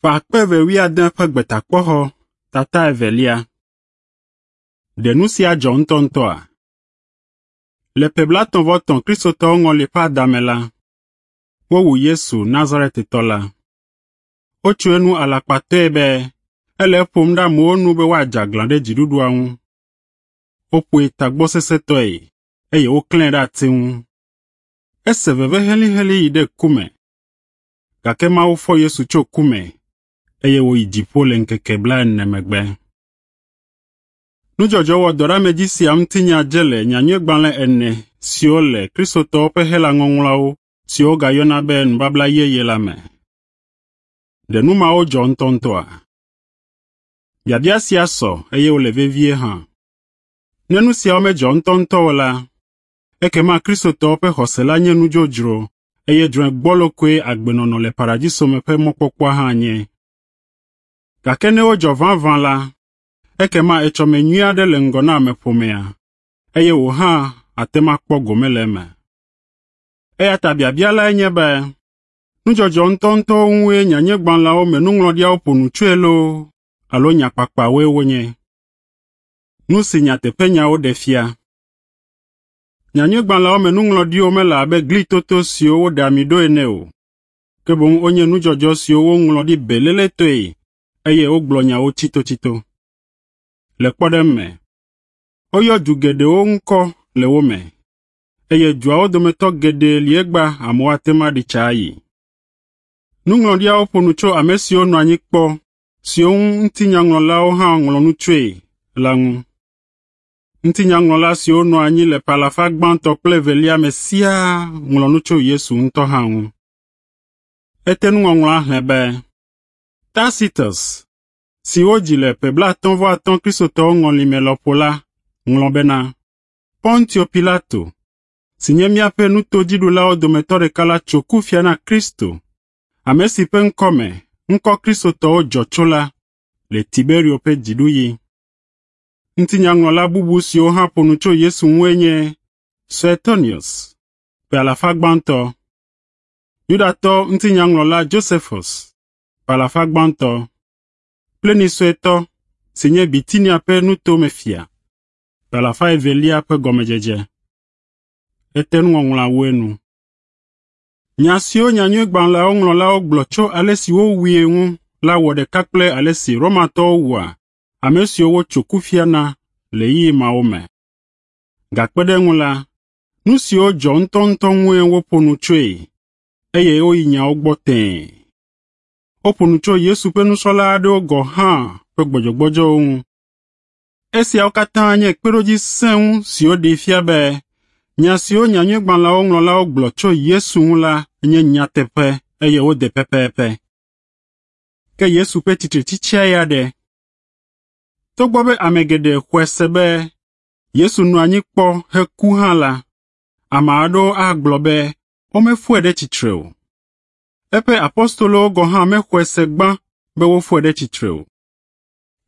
Ƒe akpe eve wuiade ƒe Gbetakpɔxɔ tata evelia. Ɖe nu sia dzɔ ŋutɔŋutɔa? Le ƒe blaetɔ̃-vɔ-etɔ̃ Kristotɔwo ŋɔli ƒe adame la, wowu Yesu Nazaretetɔ la. Wotso enu alakpatɔe be ele eƒom ɖe amewo nu be woadze aglã ɖe dziɖuɖua ŋu. Woƒoe tagbɔsesẽtɔe eye woklãe ɖe ati ŋu. Ese veve helĩhelĩ yi ɖe ku me. Gake Mawu fɔ Yesu tso ku me eye wòyi dziƒo le ŋkeke blaene megbe. Nudzɔdzɔ wɔdɔɖeamedzi sia ŋutinya dze le nyanyuigbalẽ ene siwo le Kristotɔwo ƒe Hela Ŋɔŋlɔawo siwo wogayɔna be Nubabla Yeye la me. Ɖe nu mawo dzɔ ŋutɔŋutɔa? Biabia sia sɔ eye wòle vevie hã. Ne nu siawo medzɔ ŋutɔŋutɔ o la, ekema Kristotɔwo ƒe xɔse la nye nu dzodzro eye drɔ̃e gbɔlo koe agbenɔnɔ le paradiso me ƒe mɔkpɔkpɔa hã nye. Gake ne wodzɔ vavã la, ekema etsɔme nyui aɖe le ŋgɔ na ameƒomea, eye wò hã àte ŋu akpɔ gome le eme. Eya ta biabia lae nye be, nudzɔdzɔ ŋutɔŋutɔwo ŋue nyanyuigbalẽawo me nuŋlɔɖiawo ƒo nu tsoe loo alo nyakpakpawoe wonye? Nu si nyateƒenyawo ɖe fia. Nyanyuigbalẽawo me nuŋlɔɖiwo mele abe glitoto siwo woɖe ami ɖo ene o, ke boŋ wonye nudzɔdzɔ siwo woŋlɔ ɖi beléletɔe eye wogblɔ nyawo tsitotsito. Le kpɔɖeŋu me, woyɔ du geɖewo ŋkɔ le wo me, eye duawo dometɔ geɖe li egbea amewo ate ŋu aɖi tsa ayi. Nuŋlɔɖiawo ƒo nu tso ame siwo nɔ anyi kpɔ, siwo ŋu ŋutinyaŋlɔlawo hã ŋlɔ nu tsoe la ŋu. Ŋutinyaŋlɔla siwo nɔ anyi le ƒe alafa gbãtɔ kple evelia me siaa ŋlɔ nu tso Yesu ŋutɔ hã ŋu. Ete nuŋɔŋlɔa xlẽ be, Tacitus, si wodzi le ƒe blaatɔ̃-vɔ-atɔ̃ Kristotɔwo ŋɔli me lɔƒo la, ŋlɔ bena, Pontio Pilato, si nye míaƒe nutodziɖulawo dometɔ ɖeka la tso kufia na Kristo, ame si ƒe ŋkɔ me ŋkɔ Kristotɔwo dzɔ tso la, le Tiberio ƒe dziɖuɣi. Ŋutinyaŋlɔla bubu siwo hã ƒo nu tso Yesu ŋue nye Suetonius, ƒe alafa gbãtɔ, Yudatɔ ŋutinyaŋlɔla Josephus, ƒe alafa gbãtɔ, Pliny Suetɔ si nye Bitinia ƒe nutomefia, ƒe alafa evelia ƒe gɔmedzedze. Ete nuŋɔŋlɔa wu enu. Nya siwo nyanyuigbalẽawo ŋlɔlawo gblɔ tso ale si wowui ŋu la wɔ ɖeka kple ale si Romatɔwo wua ame siwo wotso kufia na le ɣeyiɣi mawo me. Gakpe ɖe eŋu la, nu siwo dzɔ ŋutɔŋutɔ ŋue woƒo nu tsoe eye woyi nyawo gbɔ tẽe. Woƒo nu tso Yesu ƒe nusrɔ̃la aɖewo gɔ̃ hã ƒe gbɔdzɔgbɔdzɔwo ŋu. Esiawo katã nye kpeɖodzi sẽŋu siwo ɖee fia be nya siwo nyanyuigbalẽawo ŋlɔlawo gblɔ tso Yesu ŋu la nye nyateƒe eye wode pɛpɛpɛ. Ke Yesu ƒe tsitretsitsia ya ɖe? Togbɔ be ame geɖe xɔe se be Yesu nɔ anyi kpɔ heku hã la, ame aɖewo agblɔ be womefɔe ɖe tsitre o. Eƒe apostolowo gɔ̃ hã mexɔe se gbã be wofɔe ɖe tsitre o.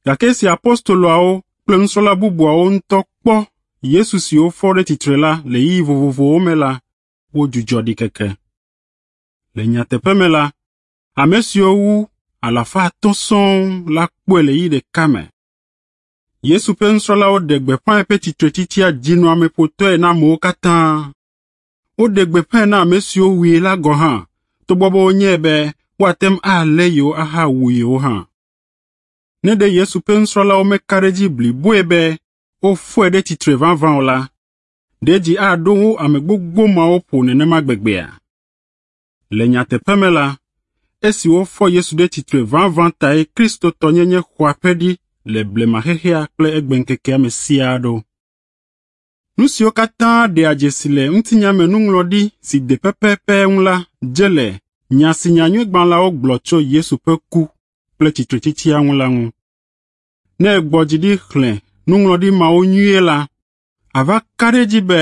Gake esi apostoloawo kple nusrɔ̃la bubuawo ŋutɔ kpɔ Yesu si wofɔ ɖe tsitre la le ɣeyiɣi vovovowo me la, wodzudzɔ ɖikeke. Le nyateƒe me la, ame siwo wu alafa atɔ̃ sɔŋ la kpɔe le ɣeyiɣi ɖeka me. Yesu ƒe nusrɔ̃lawo ɖe gbeƒã eƒe tsitretsitsia dzinɔameƒotɔe na amewo katã. Woɖe gbeƒãe na ame siwo wui la gɔ̃ hã, togbɔ be wonyae be woate ŋu alé yewo ahawu yewo hã. Ne ɖe Yesu ƒe nusrɔ̃lawo meka ɖe edzi bliboe be wofɔe ɖe tsitre vavã o la, ɖe dzi aɖo wo ame gbogbo mawo ƒo nenema gbegbea? Le nyateƒe me la, esi wofɔ Yesu ɖe tsitre vavã tae Kristotɔnyenye xɔ aƒe ɖi le blema xexea kple egbeŋkekea me siaa ɖo. Nu siwo katã ɖea dzesi le ŋutinya me nuŋlɔɖi si de pɛpɛpɛ ŋu la dze le nya si nyanyuigbalẽawo gblɔ tso Yesu ƒe ku kple tsitretsitsia ŋu la ŋu. Ne ègbɔ dzi ɖi xlẽ nuŋlɔɖi mawo nyuie la, àva ka ɖe edzi be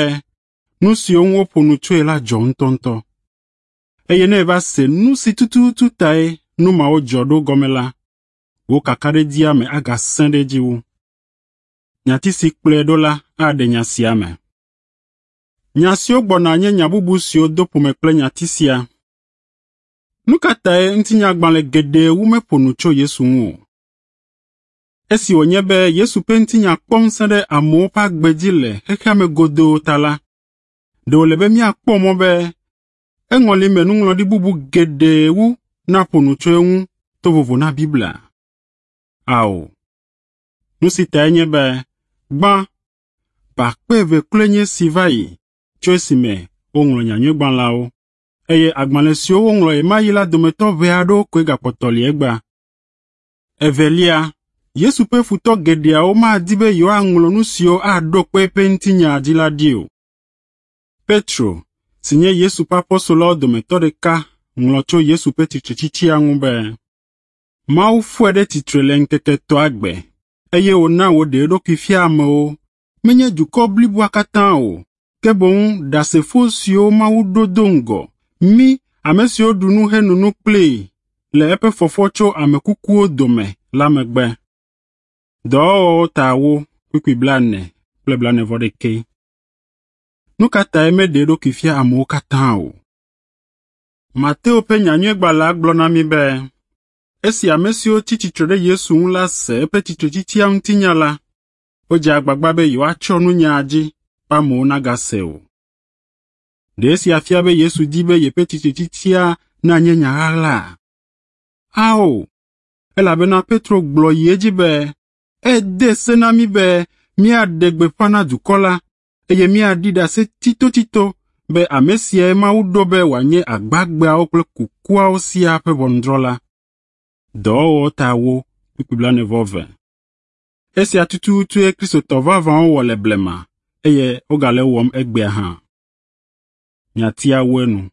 nu siwo ŋu woƒo nu tsoe la dzɔ ŋutɔŋutɔ. Eye ne èva se nu si tututu tae nu mawo dzɔ ɖo gɔme la, wò kakaɖedzia me agasẽ ɖe edzi wu. Nyati si kplɔe ɖo la aɖe nya sia me. Nya siwo gbɔna nye nya bubu siwo do ƒome kple nyati sia. Nu ka tae ŋutinyagbalẽ geɖe wu meƒo nu tso Yesu ŋu o? Esi wònye be Yesu ƒe ŋutinya kpɔ ŋusẽ ɖe amewo ƒe agbe dzi le xexea me godoo ta la, ɖe wòle be míakpɔ mɔ be eŋɔli me nuŋlɔɖi bubu geɖe wu naƒo nu tso eŋu to vovo na Biblia? Ao. Nu si tae nye be, gbã, ƒe akpe eve kloe nye esi va yi tso esime woŋlɔ Nyanyuigbalẽawo, eye agbalẽ siwo woŋlɔ ɣemaɣi la dometɔ ʋɛ aɖewo koe gakpɔtɔ li egbea. Evelia, Yesu ƒe futɔ geɖeawo madi be yewoaŋlɔ nu siwo aɖo kpe eƒe ŋutinya dzi la ɖi o. Petro, si nye Yesu ƒe apostoloawo dometɔ ɖeka, ŋlɔ tso Yesu ƒe tsitretsitsia ŋu be, Mawu fɔe ɖe tsitre le ŋkeke etɔ̃a gbe, eye wòna wòɖe eɖokui fia amewo, menye dukɔ bliboa katã o, ke boŋ ɖasefo siwo Mawu ɖo do ŋgɔ, mí ame siwo ɖu nu heno nu kplii le eƒe fɔfɔ tso ame kukuwo dome la megbe. Dɔwɔwɔwo ta ewo kpukpui blaene kple blaene-vɔ-ɖekɛ. Nu ka tae meɖe eɖokui fia amewo katã o? Mateo ƒe Nyanyuigbalẽa gblɔ na mí be esi ame siwo tsi tsitre ɖe Yesu ŋu la se eƒe tsitretsitsia ŋutinya la, wodze agbagba be yewoatsyɔ nu nyaa dzi be amewo nagase o. Ɖe esia fia be Yesu di be yeƒe tsitretsitsia nanye nya ɣaɣlaa? Ao, elabena Petro gblɔ yi edzi be, ede se na mí be míaɖe gbeƒã na dukɔ la, eye míaɖi ɖase tsitotsito be ame siae Mawu ɖo be wòanye agbagbeawo kple kukuawo siaa ƒe ʋɔnudrɔ̃la. Dɔwɔwɔ ta ewo kpukpui blaene-vɔ-eve. Esia tututue Kristotɔ vavãwo wɔ le blema, eye wogale ewɔm egbea hã. Nyatia wu enu.